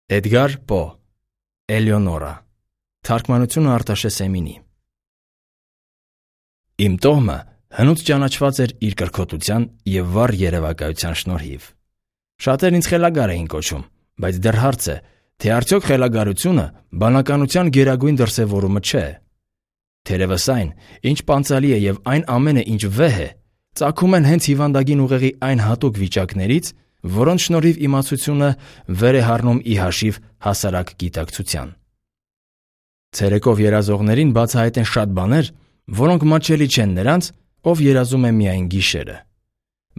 Էդգար Պո Էլեոնորա Թարգմանությունը Արտաշես Էմինի Իմ տոհմը հնուց ճանաչված էր իր կրքոտության և վառ երևակայության շնորհիվ։ Շատերն ինձ խելագար էին կոչում, բայց դեռ հարց է, թե արդյոք խելագարությունը բանականության գերագույն դրսևորումը չէ։ Թերևս այն, ինչ պանծալի է և այն ամենը, ինչ վեհ է, ծագում են հենց հիվանդագին ուղեղի այն հատուկ վիճակներից, որոնց շնորհիվ իմացությունը վեր է հառնում ի հաշիվ հասարակ գիտակցության։ Ցերեկով երազողներին բացահայտ են շատ բաներ, որոնք մատչելի չեն նրանց, ով երազում է միայն գիշերը։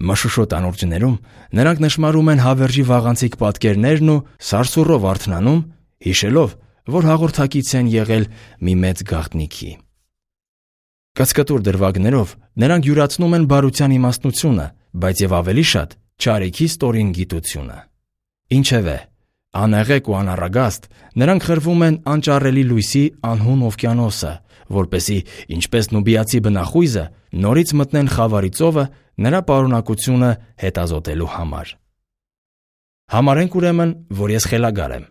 Մշուշոտ անուրջներում նրանք նշմարում են հավերժի վաղանցիկ պատկերներն ու սարսուռով արթնանում, հիշելով, որ հաղորդակից են եղել մի մեծ գաղտնիքի։ Կծկտուր դրվագներով նրանք յուրացնում են բարության իմաստնությունը, բայց և ավելի շատ չարիքի ստորին գիտությունը։ Ինչևէ, անեղեկ ու անառագաստ նրանք խրվում են անճառելի լույսի անհուն օվկիանոսը, որպեսզի, ինչպես նուբիացի բնախույզը, նորից մտնեն խավարի ծովը նրա պարունակությունը հետազոտելու համար։ Համարենք ուրեմն, որ ես խելագար եմ։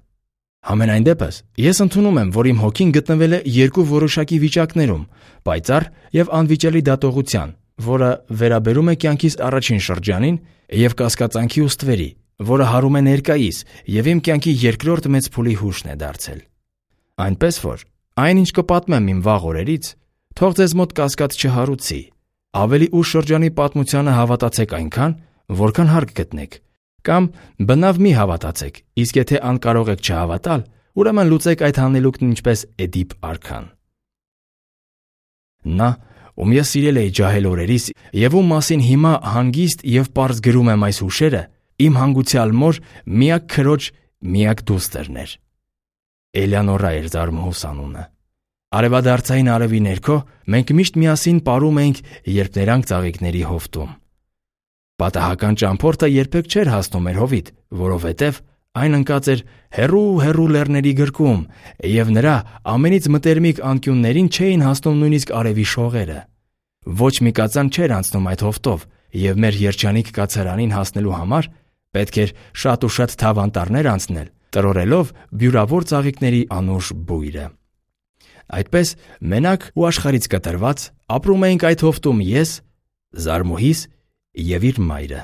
Համենայն դեպս, ես ընդունում եմ, որ իմ հոգին գտնվել է երկու որոշակի վիճակներում՝ պայծառ և անվիճելի դատողության, որը վերաբերում է կյանքիս առաջին շրջանին, և կասկածանքի ու ստվերի, որը հարում է ներկայիս և իմ կյանքի երկրորդ մեծ փուլի հուշն է դարձել։ Այնպես որ, այն, ինչ կպատմեմ իմ վաղ օրերից, թող ձեզ մոտ կասկած չհարուցի, ավելի ուշ շրջանի պատմությանը հավատացեք այնքան, որքան հարկ գտնեք, կամ բնավ մի հավատացեք, իսկ եթե անկարող եք չհավատալ, ուրեմն լուծեք այդ հանելուկն ինչպես Էդիպ արքան։ Նա, ում ես սիրել էի ջահել օրերիս և ում մասին հիմա հանգիստ և պարզ գրում եմ այս հուշերը, իմ հանգուցյալ մոր միակ քրոջ միակ դուստրն էր։ Էլեոնորա էր զարմուհուս անունը։ Արևադարձային արևի ներքո մենք միշտ միասին պարում էինք, երբ նրանք ծաղիկների հովտում։ Պատահական ճամփորդը երբեք չէր հասնում մեր հովիտ, որովհետև այն ընկած էր հեռու լեռների գրկում, և նրա ամենից մտերմիկ անկյուններին չէին հասնում նույնիսկ արևի շողերը։ Ոչ մի կածան չէր անցնում այդ հովտով, և մեր երջանիկ կացարանին հասնելու համար պետք էր շատ ու շատ թավ անտառներ անցնել, տրորելով բյուրավոր ծաղիկների անուշ բույրը։ Այդպես, մենակ ու աշխարհից կտրված, ապրում էինք այդ հովտում ես, զարմուհիս և իր մայրը։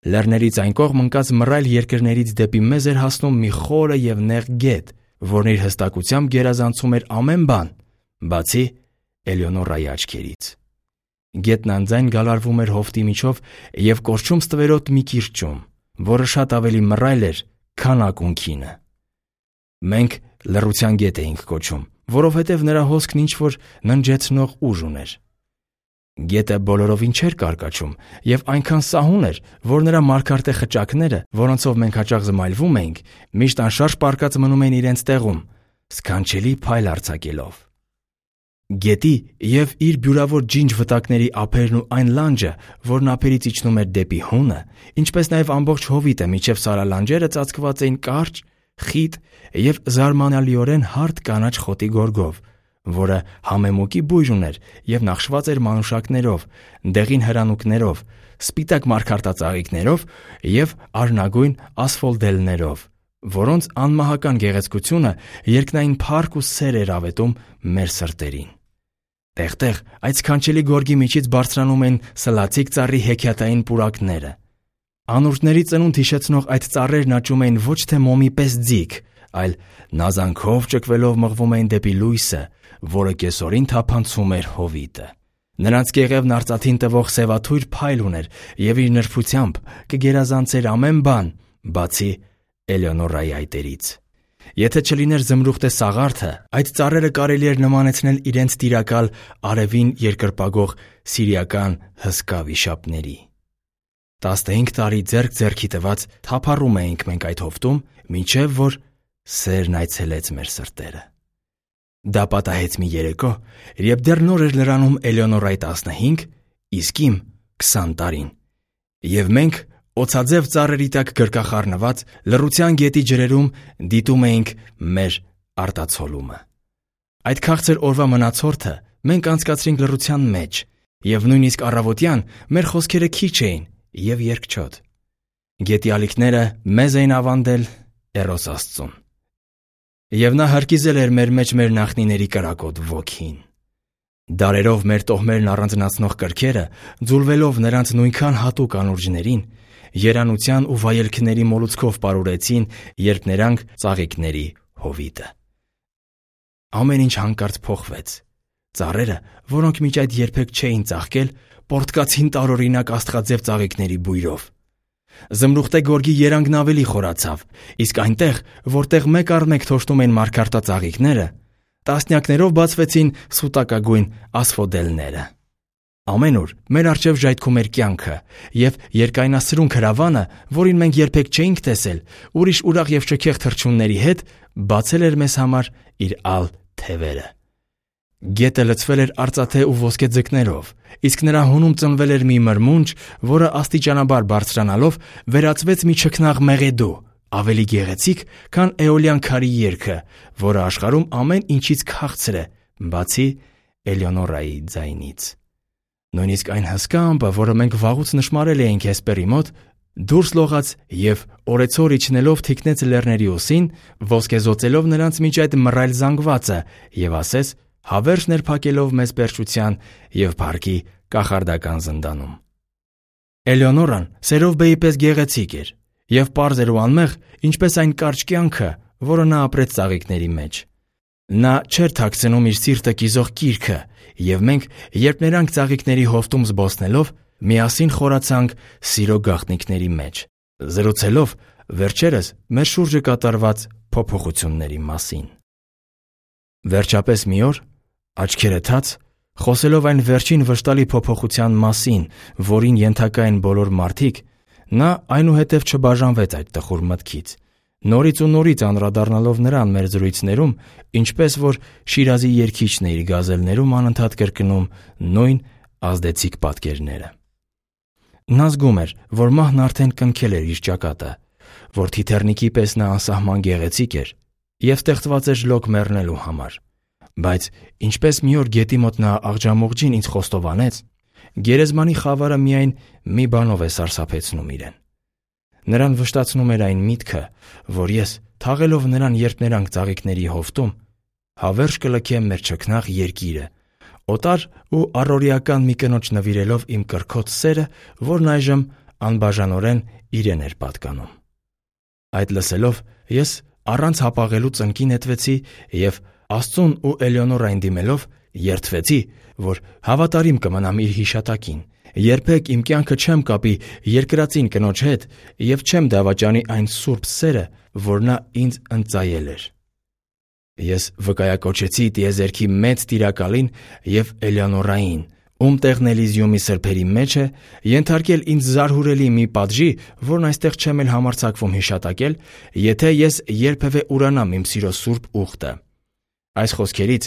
Լեռներից այն կողմ ընկած մռայլ երկրներից դեպի մեզ էր հասնում մի խորը և նեղ գետ, որն իր հստակությամբ գերազանցում էր ամեն բան, բացի Էլեոնորայի աչքերից։ Գետն անձայն գալարվում էր հովտի միջով և կորչում ստվերոտ մի կիրճում, որը շատ ավելի մռայլ էր, քան ակունքինը։ Մենք լռության գետ էինք կոչում, որովհետև նրա հոսքն ինչ-որ ննջեցնող ուժ ուներ։ Գետը բոլորովին չէր կարկաչում և այնքան սահուն էր, որ նրա մարգարտե խճակները, որոնցով մենք հաճախ զմայլվում էինք, միշտ անշարժ պառկած մնում էին իրենց տեղում, սքանչելի փայլ արձակելով։ Գետի և իր բյուրավոր ջինջ վտակների ափերն ու այն լանջը, որն ափերից իջնում էր դեպի հունը, ինչպես նաև ամբողջ հովիտը մինչև սարալանջերը ծածկված էին կարճ, խիտ և զարմանալիորեն հարթ կանաչ խոտի գորգով, որը համեմուկի բույր ուներ և նախշված էր մանուշակներով, դեղին հրանուկներով, սպիտակ մարգարտածաղիկներով և արնագույն ասֆոլդելներով, որոնց անմահական գեղեցկությունը երկնային փառք ու սեր էր ավետում մեր սրտերին։ Տեղ-տեղ այդ սքանչելի գորգի միջից բարձրանում էին սլացիկ ծառի հեքիաթային պուրակները։ Անուրջների ծնունդ հիշեցնող այդ ծառերն աճում էին ոչ թե մոմի պես ձիգ, այլ նազանքով ճկվելով մղվում էին դեպի լույսը, որը կեսօրին թափանցում էր հովիտը։ Նրանց կեղևն արծաթին տվող սևաթույր փայլ ուներ և իր նրբությամբ կգերազանցեր ամեն բան, բացի Էլեոնորայի այտերից։ Եթե չլիներ զմրուխտե սաղարթը, այդ ծառերը կարելի էր նմանեցնել իրենց տիրակալ արևին երկրպագող սիրիական հսկա վիշապների։ 15 տարի ձեռք ձեռքի տված թափառում էինք մենք այդ հովտում, մինչև որ սերն այցելեց մեր սրտերը։ Դա պատահեց մի երեկո, երբ դեռ նոր էր լրանում Էլեոնորայի 15, իսկ իմ 20 տարին, և մենք օձաձև ծառերի տակ գրկախառնված լռության գետի ջրերում դիտում էինք մեր արտացոլումը։ Այդ քաղցր օրվա մնացորդը մենք անցկացրինք լռության մեջ, և նույնիսկ առավոտյան մեր խոսքերը քիչ էին և երկչոտ։ Գետի ալիքները մեզ էին ավանդել, Էրոս Աստծուն։ Եվ նա հրկիզել էր մեր մեջ մեր նախնիների կրակոտ ոգին։ Դարերով մեր տոհմերն առանձնացնող կրքերը, ձուլվելով նրանց նույնքան հատուկ անուրջներին, երանության ու վայելքների մոլուցքով պարուրեցին, երբ նրանք ծաղիկների հովիտը։ Ամեն ինչ հանկարծ փոխվեց։ Ծառերը, որոնք մինչ այդ երբեք չէին ծաղկել, պոռթկացին տարօրինակ աստղաձև ծաղիկների բույրով։ Զմրուխտե գորգի երանգն ավելի խորացավ, իսկ այնտեղ, որտեղ մեկ առ մեկ թոշտում են մարգարտածաղիկները, տասնյակներով բացվեցին սուտակագույն ասֆոդելները։ Ամենուր մեր առջև ժայթքում էր կյանքը, և երկայնասրունք հրավանը, որին մենք երբեք չէինք տեսել, ուրիշ ուրախ և շքեղ թռչունների հետ, բացել էր մեզ համար իր ալ թևերը։ Գետը լցվել էր արծաթե ու ոսկե ձկներով, իսկ նրա հունում ծնվել էր մի մրմունջ, որը աստիճանաբար բարձրանալով վերածվեց մի չքնաղ մեղեդու, ավելի գեղեցիկ, քան էոլյան քարի երգը, որը աշխարհում ամեն ինչից քաղցր է, բացի Էլեոնորայի ձայնից։ Նույնիսկ այն հսկա ամպը, որը մենք վաղուց նշմարել էինք Հեսպերի մոտ, դուրս լողաց և օրեցօր իջնելով թիկնեց լեռների ուսին, ոսկեզօծելով նրանց մինչ այդ մռայլ զանգվածը, և ասեց, հավերժ ներփակելով մեզ պերճության և փառքի կախարդական զնդանում։ Էլեոնորան Սերովբեի պես գեղեցիկ էր և պարզ էր ու անմեղ, ինչպես այն կարճ կյանքը, որը նա ապրեց ծաղիկների մեջ։ Նա չէր թաքցնում իր սիրտը կիզող կիրքը, և մենք, երբ նրանք ծաղիկների հովտում զբոսնելով, միասին խորացանք սիրո գաղտնիքների մեջ, զրուցելով վերջերս մեր շուրջը կատարված փոփոխությունների մասին։ Վերջապես մի օր, աչքերը թաց, խոսելով այն վերջին վշտալի փոփոխության մասին, որին ենթակա են բոլոր մարդիկ, նա այնուհետև չբաժանվեց այդ տխուր մտքից, նորից ու նորից անդրադառնալով նրան մեր զրույցներում, ինչպես որ Շիրազի երգիչն է իր գազելներում անընդհատ կրկնում նույն ազդեցիկ պատկերները։ Նա զգում էր, որ մահն արդեն կնքել էր իր ճակատը, որ թիթեռնիկի պես նա անսահման գեղեցիկ էր և ստեղծված էր ժլոկ մեռնելու համար, բայց ինչպես մի օր գետի մոտ նա աղջամուղջին ինձ խոստովանեց, գերեզմանի խավարը միայն մի բանով է սարսափեցնում իրեն։ Նրան վշտացնում էր այն միտքը, որ ես, թաղելով նրան, երբ նրանք ծաղիկների հովտում, հավերժ կլքեմ մեր չքնաղ երկիրը, օտար ու առօրեական մի կնոջ նվիրելով իմ կրքոտ սերը, որն այժմ անբաժանորեն իրեն էր պատկանում։ Այդ լսելով ես առանց հապաղելու ծնկի նետվեցի և Աստծուն ու Էլեոնորային դիմելով երդվեցի, որ հավատարիմ կմնամ իր հիշատակին, երբեք իմ կյանքը չեմ կապի երկրածին կնոջ հետ և չեմ դավաճանի այն սուրբ սերը, որ նա ինձ ընծայել էր։ Ես վկայակոչեցի տիեզերքի մեծ տիրակալին և Էլեոնորային, ում տեղն Էլիզիումի սրբերի մեջ է, ենթարկել ինձ զարհուրելի մի պատժի, որն այստեղ չեմ էլ համարձակվում հիշատակել, եթե ես երբևէ ուրանամ իմ սիրո սուրբ ուխտը։ Այս խոսքերից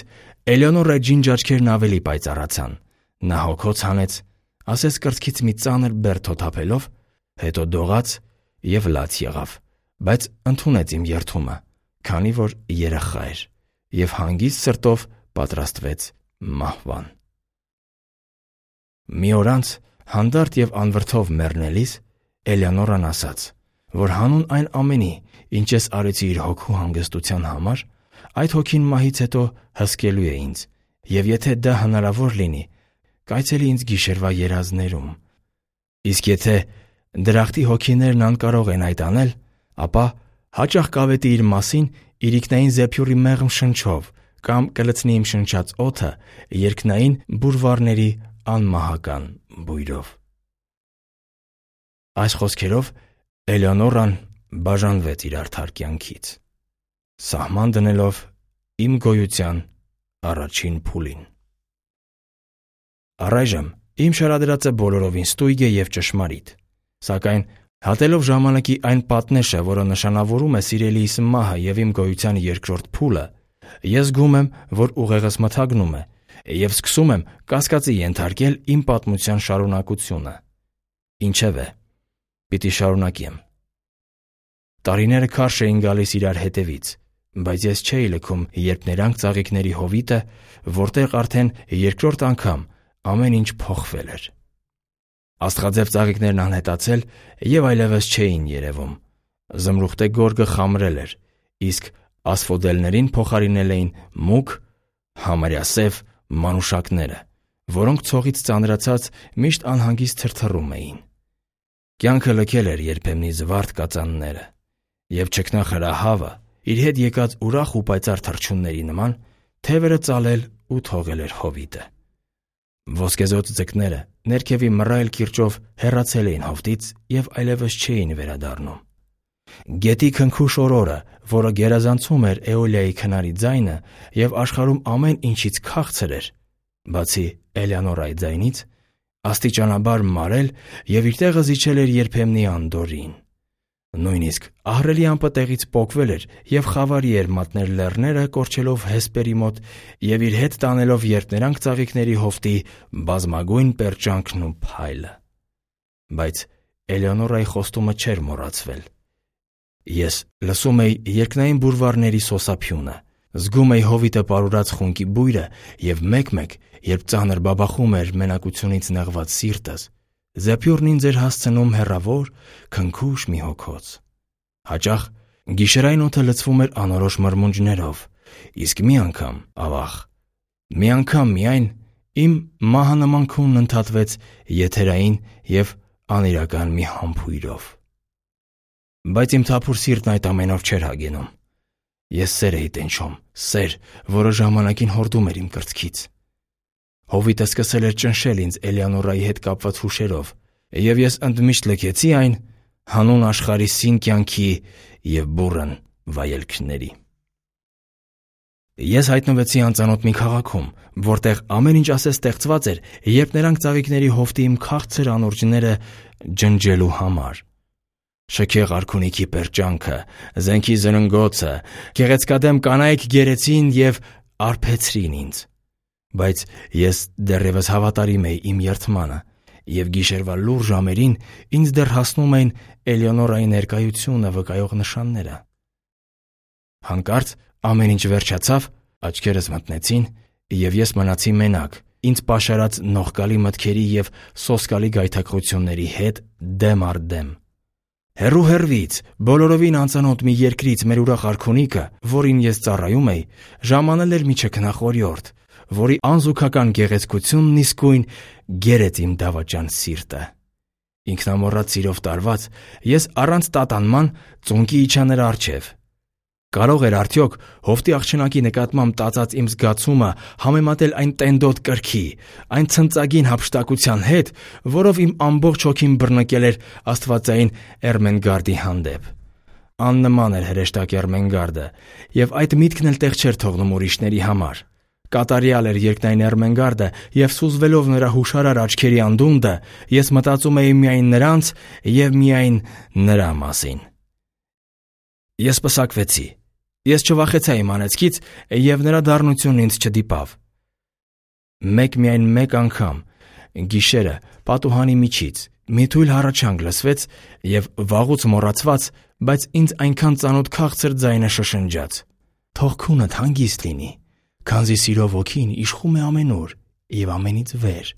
Էլեոնորայի ջինջ աչքերն ավելի պայծառացան։ Նա հոգոց հանեց, ասես կրծքից մի ծանր բեռ թոթափելով, հետո դողաց և լաց եղավ, բայց ընդունեց իմ երդումը, քանի որ երեխա էր, և հանգիստ սրտով պատրաստվեց մահվան։ Մի օր անց, հանդարտ և անվրդով մեռնելիս, Էլեոնորան ասաց, որ հանուն այն ամենի, ինչ ես արեցի իր հոգու հանգստության համար, այդ հոգին մահից հետո հսկելու է ինձ, և եթե դա հնարավոր լինի, կայցելի ինձ գիշերվա երազներում։ Իսկ եթե դրախտի հոգիներն անկարող են այդ անել, ապա հաճախ կավետի իր մասին իրիկնային զեփյուռի մեղմ շնչով կամ կլցնի իմ շնչած օդը երկնային բուրվառների անմահական բույրով։ Այս խոսքերով Էլեոնորան բաժանվեց իր արդար կյանքից, սահման դնելով իմ գոյության առաջին փուլին։ Առայժմ իմ շարադրածը բոլորովին ստույգ է և ճշմարիտ, սակայն հատելով ժամանակի այն պատնեշը, որը նշանավորում է սիրելիս մահը և իմ գոյության երկրորդ փուլը, ես զգում եմ, որ ուղեղս մթագնում է և սկսում եմ կասկածի ենթարկել իմ պատմության շարունակությունը։ Ինչևէ, պիտի շարունակեմ։ Տարիները քարշ էին գալիս իրար հետևից, բայց ես չէի լքում, երբ նրանք ծաղիկների հովիտը, որտեղ արդեն երկրորդ անգամ ամեն ինչ փոխվել էր։ Աստղաձև ծաղիկներն անհետացել և այլևս չէին երևում, Զմրուխտե գորգը խամրել էր, իսկ ասֆոդելներին փոխարինել էին մուգ, համարյա սև մանուշակները, որոնք ցողից ծանրացած միշտ անհանգիստ թրթռում էին։ Կյանքը լքել էր երբեմնի զվարթ կածանները, և չքնախրահավը իր հետ եկած ուրախ ու պայծառ թռչունների նման թևերը ծալել ու թողել էր հովիտը։ Ոսկեզօծ ձկները ներքևի մռայլ կիրճով հեռացել էին հովտից և այլևս չէին վերադառնում։ Գետի քնքուշ օրորը, որը գերազանցում էր Էոլիայի քնարի ձայնը և աշխարհում ամեն ինչից քաղցր էր, բացի Էլեանորայի ձայնից, աստիճանաբար մարել և իր տեղը զիջել էր երբեմնի անդորրին։ Նույնիսկ ահռելի ամպը տեղից պոկվել էր և խավարի էր մատնել լեռները կորչելով Հեսպերի մոտ և իր հետ տանելով երկներանք ծաղիկների հովտի բազմագույն պերճանքն ու փայլը։ Բայց Էլեոնորայի խոստումը չէր մոռացվել։ Ես լսում էի երկնային բուրվարների սոսափյունը, զգում էի հովիտը պարուրած խունկի բույրը և մեկ-մեկ, երբ ծանր բաբախում էր մենակությունից նեղված սիրտս, Զեփյուրն ինձ էր հասցնում հեռավոր, քնքուշ մի հոգոց։ Հաճախ գիշերային օդը լցվում էր անորոշ մրմունջներով, իսկ մի անգամ, ավաղ, մի անգամ միայն իմ մահանման քունն ընդհատվեց եթերային և անիրական մի համբույրով։ Բայց իմ թափուր սիրտն այդ ամենով չէր հագենում։ Ես սեր էի տենչում, սեր, որը ժամանակին հորդում էր իմ կրծքից։ Հովիտը սկսել էր ճնշել ինձ Էլեոնորայի հետ կապված հուշերով, և ես ընդմիշտ լքեցի այն հանուն աշխարհի սին կյանքի և բուռն վայելքների։ Ես հայտնվեցի անծանոթ մի քաղաքում, որտեղ ամեն ինչ ասես ստեղծված էր երկներանք ծաղիկների հովտի իմ քաղցր անուրջները ջնջելու համար։ Շքեղ արքունիքի պերճանքը, զենքի զրնգոցը, գեղեցկադեմ կանայք գերեցին և արբեցրին ինձ։ Բայց ես դեռևս հավատարիմ էի իմ երդմանը, և գիշերվա լուռ ժամերին ինձ դեռ հասնում էին Էլեոնորայի ներկայությունը վկայող նշանները։ Հանկարծ ամեն ինչ վերջացավ, աչքերս մթնեցին, և ես մնացի մենակ, ինձ պաշարած նողկալի մտքերի և սոսկալի գայթակղությունների հետ դեմ առ դեմ։ Հեռու հեռվից, բոլորովին անծանոթ մի երկրից մեր ուրախ արքունիքը, որին ես ծառայում էի, ժամանել էր մի չքնախորյորդ, որի անզուգական գեղեցկությունն իսկույն գերեց իմ դավաճան սիրտը։ Ինքնամոռաց սիրով տարված, ես առանց տատանման ծունկի իջա նրա առջև։ Կարող էր արդյոք հովտի աղջնակի նկատմամբ տածած իմ զգացումը համեմատել այն տենդոտ կրքի, այն ցնծագին հափշտակության հետ, որով իմ ամբողջ հոգին բռնկել էր աստվածային Էրմենգարդի հանդեպ։ Աննման էր հրեշտակ Էրմենգարդը, և այդ միտքն էլ տեղ չէր թողնում ուրիշների համար։ Կատարյալ էր երկնային Էրմենգարդը, և սուզվելով նրա հուշարար աչքերի անդունդը, ես մտածում էի միայն նրանց և միայն նրա մասին։ Ես պսակվեցի։ Ես չվախեցա իմ անեծքից, և նրա դառնությունն ինձ չդիպավ։ Միայն մեկ անգամ, գիշերը պատուհանի միջից, մի թույլ հառաչանք լսվեց, և վաղուց մոռացված, բայց ինձ այնքան ծանոթ քաղցր ձայնը շշնջաց. «Թող քունդ հանգիստ լինի, քանզի սիրով ոգին իշխում է ամենուր և ամենից վեր,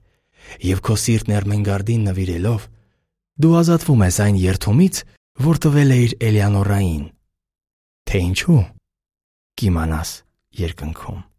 և քո սիրտն Էրմենգարդին նվիրելով, դու ազատվում ես այն երդումից, որ տվել էիր Էլեոնորային։ Թե ինչու, կիմանաս երկնքում»։